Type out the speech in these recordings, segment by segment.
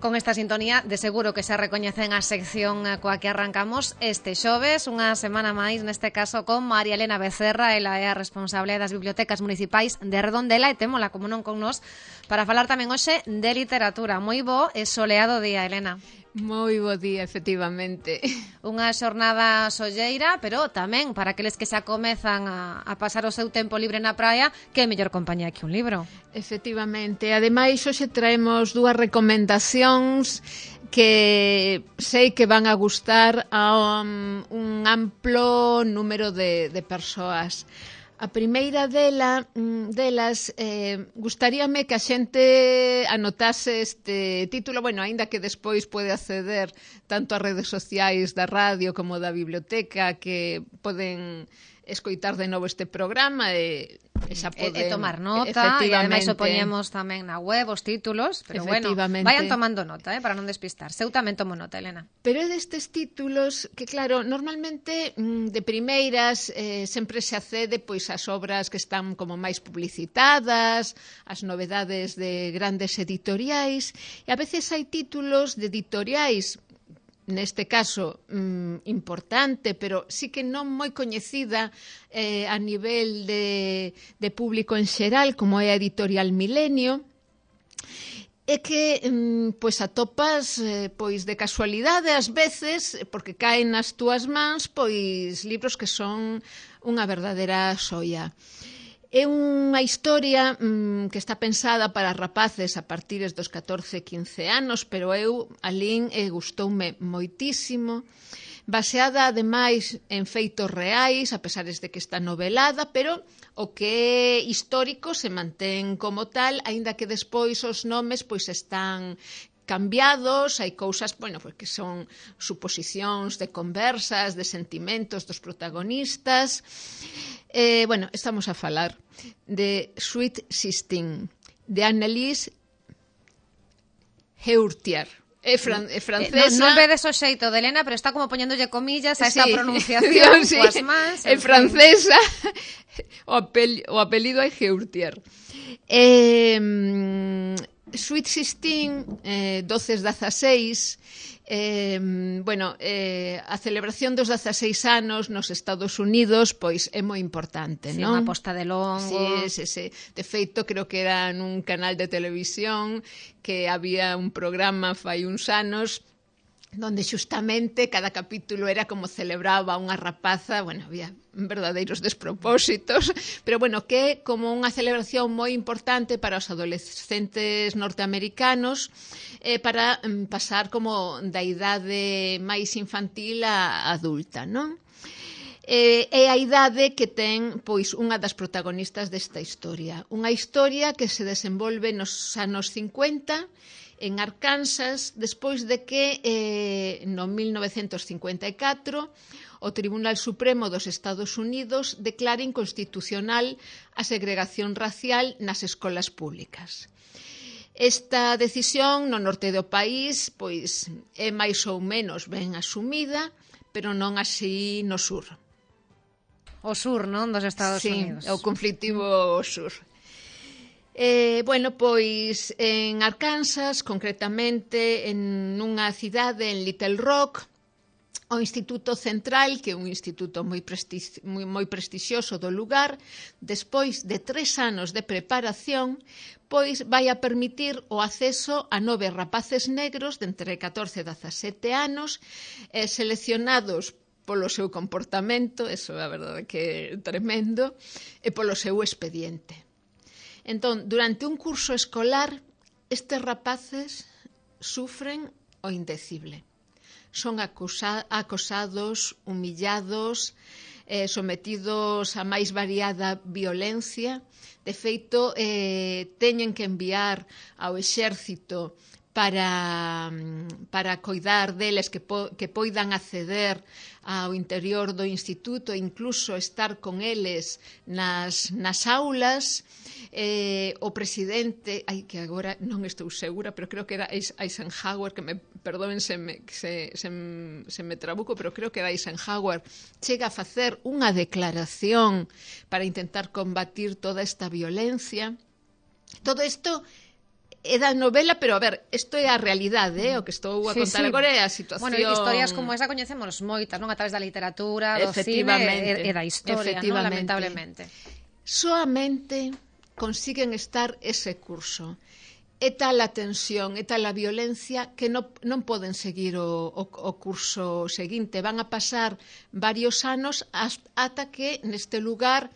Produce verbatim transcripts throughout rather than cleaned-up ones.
Con esta sintonía, de seguro que se recoñece en a sección coa que arrancamos este xoves, unha semana máis, neste caso con María Elena Becerra. Ela é a responsable das bibliotecas municipais de Redondela e témola, como non, con nós para falar tamén hoxe de literatura. Moi bo e soleado día, Elena. Moi bo día, efectivamente. Unha xornada solleira, pero tamén para aqueles que xa comezan a, a pasar o seu tempo libre na praia, que é mellor compañía que un libro. Efectivamente. Ademais, hoxe traemos dúas recomendacións que sei que van a gustar a um, un amplo número de, de persoas. A primeira dela, delas, eh, gustaríame que a xente anotase este título, bueno, aínda que despois pode acceder tanto ás redes sociais da radio como da biblioteca, que poden escoitar de novo este programa e, e xa poden... E, e tomar nota, e ademais o poñemos tamén na web, os títulos, pero bueno, vayan tomando nota, eh, para non despistarse. Eu tamén tomo nota, Elena. Pero é destes títulos que, claro, normalmente de primeiras eh, sempre se accede pois ás obras que están como máis publicitadas, as novedades de grandes editoriais, e a veces hai títulos de editoriais neste caso mm, importante, pero sí que non moi coñecida eh, a nivel de, de público en xeral, como é a editorial Milenio, é que mm, pois atopas eh, pois de casualidade ás veces, porque caen nas túas mans, pois libros que son unha verdadeira xoia. É unha historia mmm, que está pensada para rapaces a partir dos catorce, quince anos, pero eu, alín, e gustoume moitísimo, baseada, ademais, en feitos reais, a pesar de que está novelada, pero o que é histórico se mantén como tal, aínda que despois os nomes pois están cambiados, hai cousas, bueno, pues que son suposicións de conversas, de sentimentos dos protagonistas. Eh, bueno, estamos a falar de Sweet sixteen, de Anneliese Heurtier. É, fran é francesa. Eh, non, non vedes o xeito de Elena, pero está como poñéndolle comillas a esta sí. pronunciación sí. coas mans. É francesa. O, apel o apelido é Heurtier. Eh... Sweet sixteen, eh, doce dezaseis, eh, bueno, eh, a celebración dos dezaseis anos nos Estados Unidos pois é moi importante, sí, non? Unha posta de longo. Sí, sí, sí. De feito, creo que era nun canal de televisión que había un programa fai uns anos donde xustamente cada capítulo era como celebraba unha rapaza, bueno, había verdadeiros despropósitos, pero bueno, que é como unha celebración moi importante para os adolescentes norteamericanos, eh, para mm, pasar como da idade máis infantil a adulta, non? Eh, é a idade que ten pois unha das protagonistas desta historia. Unha historia que se desenvolve nos anos cincuenta, en Arkansas, despois de que eh, no mil novecentos cincuenta e catro o Tribunal Supremo dos Estados Unidos declara inconstitucional a segregación racial nas escolas públicas. Esta decisión no norte do país pois é máis ou menos ben asumida, pero non así no sur. O sur, non? Dos Estados sí, Unidos. Sí, o conflictivo sur. Eh, bueno, pois en Arkansas, concretamente en unha cidade en Little Rock, o Instituto Central, que é un instituto moi, presti moi, moi prestixioso do lugar, despois de tres anos de preparación, pois vai a permitir o acceso a nove rapaces negros de entre catorce e dezasete anos, eh, seleccionados polo seu comportamento, eso é a verdade que é tremendo, e polo seu expediente. Entón, durante un curso escolar, estes rapaces sufren o indecible. Son acosa acosados, humillados, eh, sometidos a máis variada violencia. De feito, eh, teñen que enviar ao exército para, para coidar deles, que, po, que poidan acceder ao interior do instituto e incluso estar con eles nas, nas aulas. Eh, o presidente, ai que agora non estou segura, pero creo que era Eisenhower, que me perdoen se me, se, se, se me trabuco, pero creo que era Eisenhower, chega a facer unha declaración para intentar combatir toda esta violencia. Todo isto é da novela, pero a ver, isto é a realidade, eh? O que estou a contar sí, sí. agora é a situación... Bueno, historias como esa coñecemos moitas, non? A través da literatura, do cine e, e da historia, non? Lamentablemente. Soamente consiguen estar ese curso. É tal a tensión, é tal a violencia que non, non poden seguir o, o, o curso seguinte. Van a pasar varios anos ata que neste lugar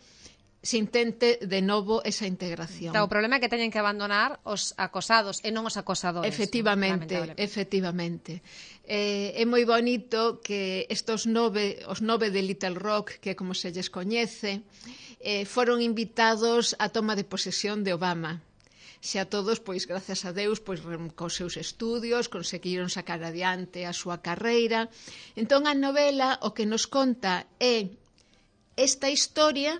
se intente de novo esa integración. O problema é que teñen que abandonar os acosados e non os acosadores. Efectivamente, ¿no? efectivamente. Eh, é moi bonito que estos nove, os nove de Little Rock, que como se lles coñece, eh, foron invitados á toma de posesión de Obama. Xa todos, pois, grazas a Deus, pois, cos seus estudios, conseguiron sacar adiante a súa carreira. Entón, a novela o que nos conta é esta historia,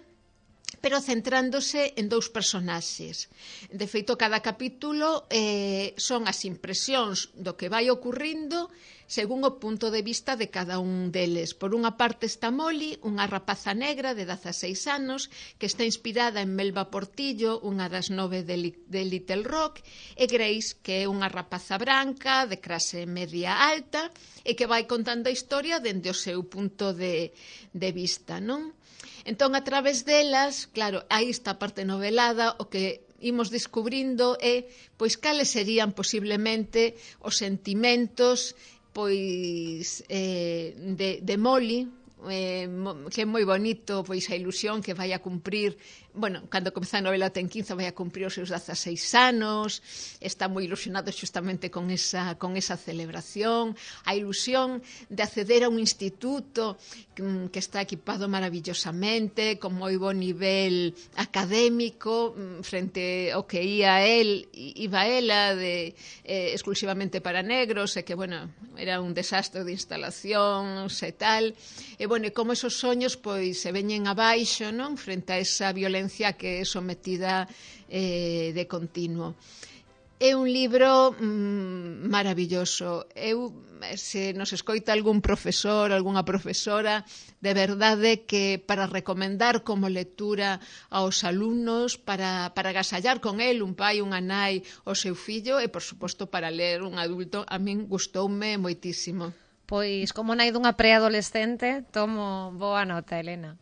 pero centrándose en dous personaxes. De feito, cada capítulo eh, son as impresións do que vai ocurrindo según o punto de vista de cada un deles. Por unha parte está Molly, unha rapaza negra de dezaseis anos, que está inspirada en Melba Portillo, unha das nove de, Li de Little Rock, e Grace, que é unha rapaza branca, de clase media alta, e que vai contando a historia dende o seu punto de, de vista, non? Entón, a través delas, claro, aí está a parte novelada, o que imos descubrindo é pois cales serían posiblemente os sentimentos pois eh, de, de Molly, eh, que é moi bonito pois a ilusión que vai a cumprir, bueno, cando comeza a novela ten quince, vai a cumprir os seus dezaseis anos, está moi ilusionado xustamente con esa, con esa celebración, a ilusión de acceder a un instituto que, que está equipado maravillosamente, con moi bon nivel académico, frente ao que ia el, iba ela de, eh, exclusivamente para negros, e que, bueno, era un desastre de instalacións e tal, e, bueno, e como esos soños, pois, se veñen abaixo, non? Frente a esa violencia que é sometida eh, de continuo. É un libro mm, maravilloso. Eu, se nos escoita algún profesor, algunha profesora, de verdade que para recomendar como lectura aos alumnos, para, para agasallar con el un pai, unha nai, o seu fillo, e, por suposto, para ler un adulto, a min gustoume moitísimo. Pois, como nai dunha preadolescente, tomo boa nota, Elena.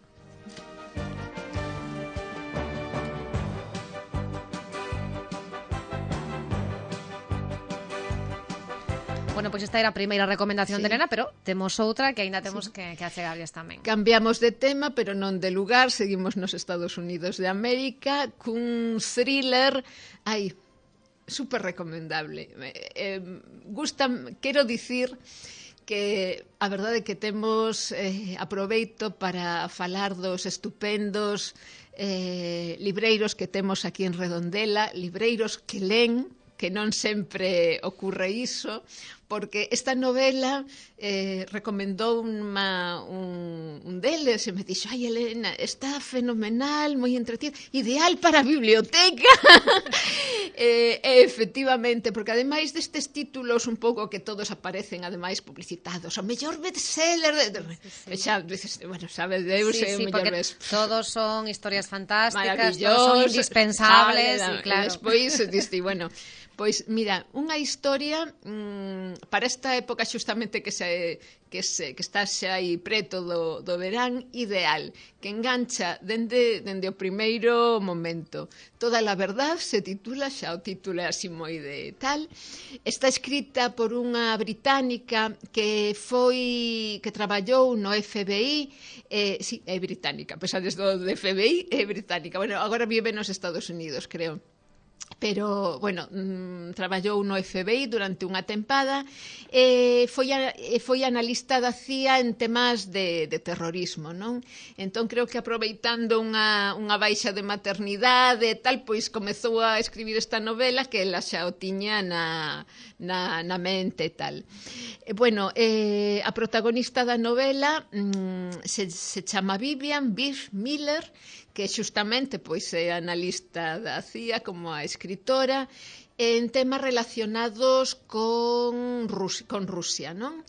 Bueno, pois esta era a primeira recomendación sí. de Elena, pero temos outra que aínda temos sí. que, que achegarles tamén. Cambiamos de tema, pero non de lugar, seguimos nos Estados Unidos de América, cun thriller, ai, super recomendable. Eh, gusta, quero dicir que a verdade é que temos eh, aproveito para falar dos estupendos eh, libreiros que temos aquí en Redondela, libreiros que len, que non sempre ocorre iso, porque esta novela eh, recomendou unha, un, un deles e me dixo, ai Elena, está fenomenal, moi entretida, ideal para a biblioteca. e, e efectivamente, porque ademais destes títulos un pouco que todos aparecen ademais publicitados, o mellor bestseller de... sí, sí. Xa, dices, bueno, sabe Deus, sí, é sí, o mellor best... todos son historias fantásticas, todos son indispensables, sabe, y claro. Despois, diste, bueno, pois mira, unha historia mmm, para esta época xustamente que se que se que está xa aí preto do, do verán, ideal, que engancha dende, dende o primeiro momento. Toda a verdad se titula, xa o título é así moi de tal. Está escrita por unha británica que foi que traballou no F B I, eh, sí, é británica, a pesar do F B I, é británica. Bueno, agora vive nos Estados Unidos, creo. Pero, bueno, mmm, traballou no F B I durante unha tempada e foi, a, e foi analista da C I A en temas de, de terrorismo, non? Entón, creo que aproveitando unha, unha baixa de maternidade e tal, pois comezou a escribir esta novela que ela xa o tiña na, na, na mente e tal. E, bueno, eh, a protagonista da novela mmm, se, se chama Vivian Biff Miller, que xustamente pois é analista da C I A como a escritora, en temas relacionados con, Rus con Rusia, non?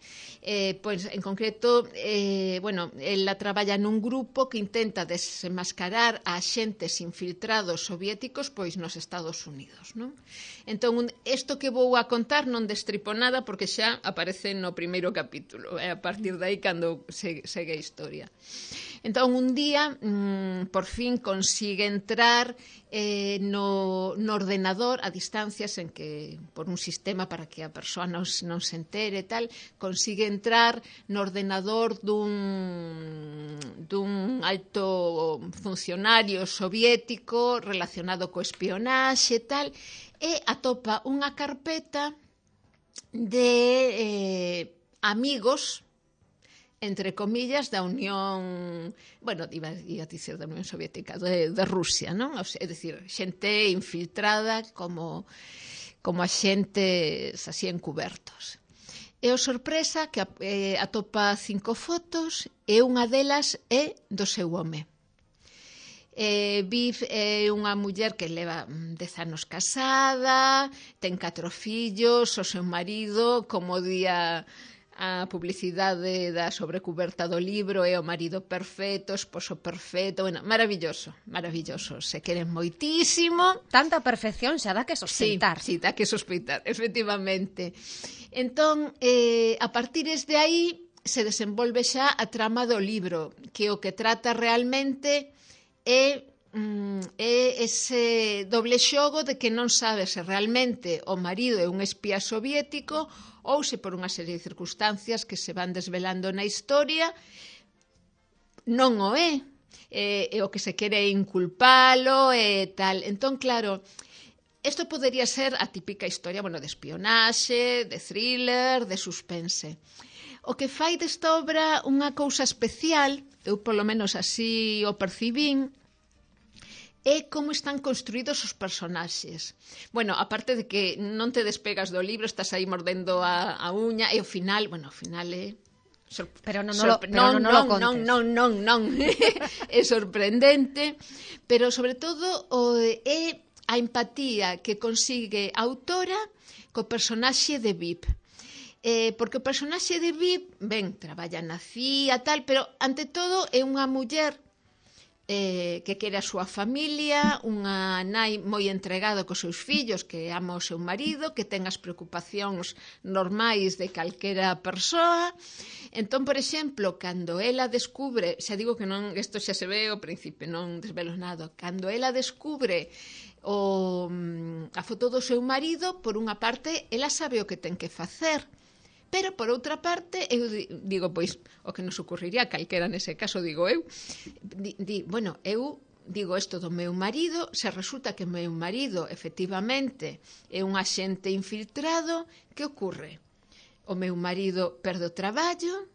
Eh, pois, en concreto, eh, bueno, ela traballa nun grupo que intenta desenmascarar a axentes infiltrados soviéticos pois nos Estados Unidos, non? Entón, isto que vou a contar non destripo nada porque xa aparece no primeiro capítulo, é a partir de aí cando segue, segue a historia. Entón, un día, mmm, por fin consigue entrar eh, no, no ordenador a distancias en que, por un sistema para que a persoa non, non se entere e tal, consigue entrar no ordenador dun, dun alto funcionario soviético relacionado co espionaxe e tal, e atopa unha carpeta de eh, amigos, entre comillas, da Unión, bueno, iba, iba a dizer da Unión Soviética, de, de Rusia, non? O sea, é dicir, xente infiltrada como, como axentes así encubertos. E o sorpresa que eh, atopa cinco fotos e unha delas é do seu home. Eh, Viv é unha muller que leva dez anos casada, ten catro fillos, o seu marido, como día a publicidade da sobrecuberta do libro, é o marido perfecto, esposo perfecto, bueno, maravilloso, maravilloso, se queren moitísimo. Tanta perfección xa dá que sospeitar. Sí, sí, dá que sospeitar, efectivamente. Entón, eh, a partir de aí se desenvolve xa a trama do libro, que o que trata realmente é é ese doble xogo de que non sabe se realmente o marido é un espía soviético ou se por unha serie de circunstancias que se van desvelando na historia non o é, e, e o que se quere inculpalo e tal. Entón, claro, isto podería ser a típica historia, bueno, de espionaxe, de thriller, de suspense. O que fai desta obra unha cousa especial, eu polo menos así o percibín, é como están construídos os personaxes. Bueno, aparte de que non te despegas do libro, estás aí mordendo a, a uña, e ao final, bueno, ao final é... Sor... Pero non, non, lo, pero non, non, non lo contes. Non, non, non, non. É sorprendente, pero sobre todo o, é a empatía que consigue a autora co personaxe de Viv. Eh, porque o personaxe de Viv, ben, traballa na C I A, tal, pero ante todo é unha muller Eh, que quere a súa familia, unha nai moi entregada cos seus fillos, que ama o seu marido, que ten as preocupacións normais de calquera persoa. Entón, por exemplo, cando ela descubre, xa digo que non, isto xa se ve ao principio, non desvelo nada, cando ela descubre o, a foto do seu marido, por unha parte, ela sabe o que ten que facer. Pero, por outra parte, eu digo, pois, o que nos ocurriría calquera nese caso, digo eu, di, di, bueno, eu digo isto do meu marido, se resulta que o meu marido, efectivamente, é un axente infiltrado, que ocorre? O meu marido perde o traballo,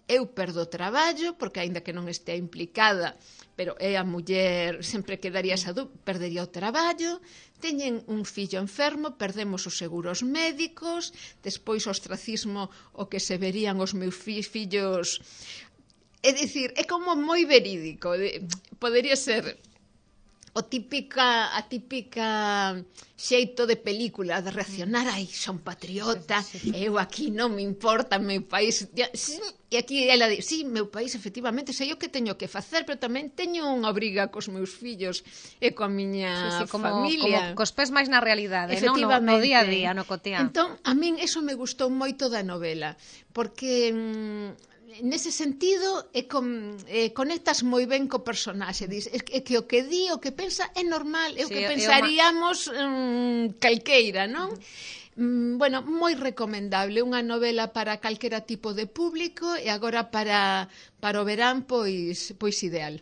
eu perdo o traballo, porque aínda que non estea implicada, pero é a muller, sempre quedaría esa dúbida, perdería o traballo, teñen un fillo enfermo, perdemos os seguros médicos, despois o ostracismo o que se verían os meus fillos. É dicir, é como moi verídico, podería ser o típica, a típica xeito de película de reaccionar, ai, son patriota, sí, sí, sí. Eu aquí non me importa meu país, e aquí ela di, sí, meu país efectivamente sei o que teño que facer, pero tamén teño unha obriga cos meus fillos e coa miña sí, sí, como, familia. Como cos pés máis na realidade, non? No, no día a día, no cotián. Entón, a min eso me gustou moito da novela, porque mmm, nese sentido é con, eh, conectas moi ben co personaxe, dis, é, é que o que di, o que pensa é normal, é o sí, que pensaríamos uma... um, calqueira, non? Mm, bueno, moi recomendable, unha novela para calquera tipo de público e agora para, para o verán, pois, pois ideal.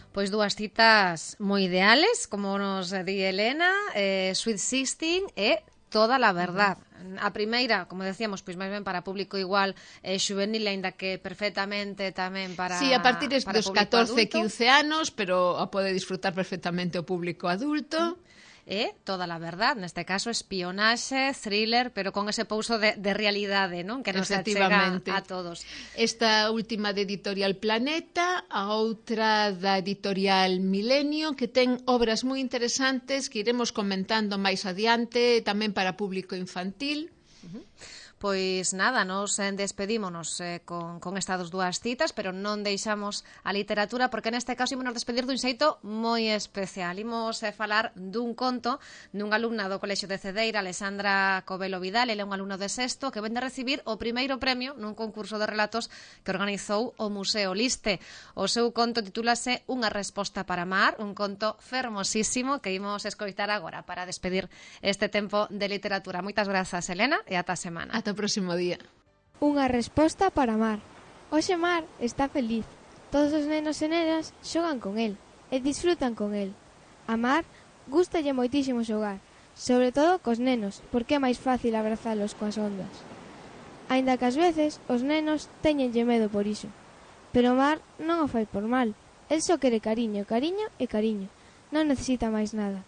Pois dúas citas moi ideales, como nos di Elena, eh, Sweet sixteen e Toda la verdad. A primeira, como decíamos, pois máis ben para público igual eh, juvenil, aínda que perfectamente tamén para sí, a partir dos catorce, adulto. quince anos, pero a pode disfrutar perfectamente o público adulto. e toda a verdad, neste caso espionaxe, thriller, pero con ese pouso de, de realidade, non? Que nos achega a todos. Esta última de Editorial Planeta, a outra da Editorial Milenio, que ten obras moi interesantes que iremos comentando máis adiante, tamén para público infantil. Uh-huh. Pois nada, nos despedímonos eh, con, con estas dúas citas, pero non deixamos a literatura, porque neste caso ímonos despedir dun xeito moi especial. Imos eh, falar dun conto dunha alumna do Colexio de Cedeira, Alexandra Covelo Vidal. Ela é un alumno de sexto que vende a recibir o primeiro premio nun concurso de relatos que organizou o Museo Liste. O seu conto titúlase Unha resposta para amar, un conto fermosísimo que imos escoitar agora para despedir este tempo de literatura. Moitas grazas, Elena, e ata a semana. Ata o próximo día. Unha resposta para Mar. Hoxe Mar está feliz. Todos os nenos e nenas xogan con el e disfrutan con el. A Mar gústalle moitísimo xogar, sobre todo cos nenos, porque é máis fácil abrazalos coas ondas. Aínda que ás veces os nenos teñenlle medo por iso. Pero Mar non o fai por mal. El só quere cariño, cariño e cariño. Non necesita máis nada.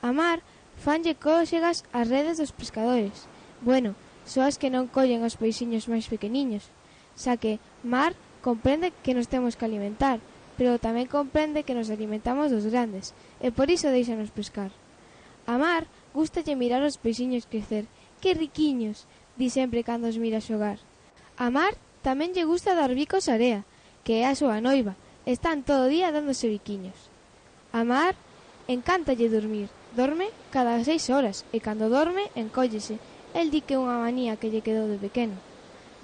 A Mar fanlle cóxegas ás redes dos pescadores. Bueno, só as que non collen os peixiños máis pequeniños, xa que Mar comprende que nos temos que alimentar, pero tamén comprende que nos alimentamos dos grandes, e por iso deixanos pescar. A Mar gústalle mirar os peixiños crecer. Que riquiños, di sempre cando os mira xogar. A Mar tamén lle gusta dar bicos á area, que é a súa noiva, están todo o día dándose biquiños. A Mar encántalle dormir, dorme cada seis horas, e cando dorme encóllese. El di que é unha manía que lle quedou de pequeno.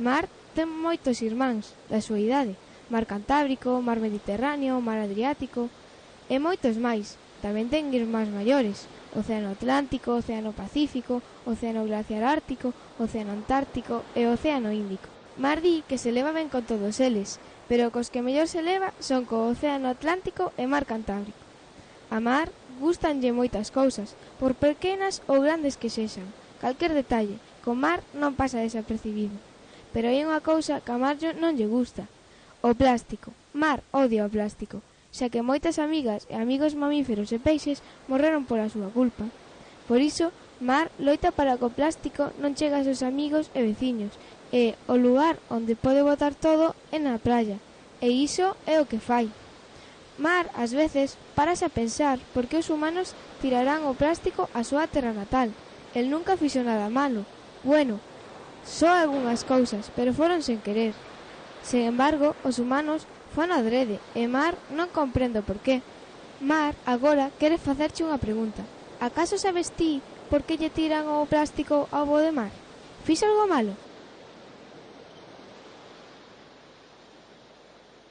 Mar ten moitos irmáns da súa idade. Mar Cantábrico, Mar Mediterráneo, Mar Adriático e moitos máis. Tamén ten irmáns maiores. Océano Atlántico, Océano Pacífico, Océano Glaciar Ártico, Océano Antártico e Océano Índico. Mar di que se leva ben con todos eles, pero cos que mellor se leva son co Océano Atlántico e Mar Cantábrico. A Mar gustanlle moitas cousas, por pequenas ou grandes que sexan. Calquer detalle, con Mar non pasa desapercibido. Pero hai unha cousa que a Mar non lle gusta. O plástico. Mar odia o plástico, xa que moitas amigas e amigos mamíferos e peixes morreron pola súa culpa. Por iso, Mar loita para que o plástico non chegue aos seus amigos e veciños, e o lugar onde pode botar todo é na praia, e iso é o que fai. Mar, ás veces, parase a pensar por que os humanos tirarán o plástico á súa terra natal. El nunca fixo nada malo. Bueno, só algunhas cousas, pero foron sen querer. Sen embargo, os humanos fan adrede e Mar non comprendo por qué. Mar agora quere facerche unha pregunta. Acaso sabes ti por que lle tiran o plástico ao bo de Mar? Fixo algo malo?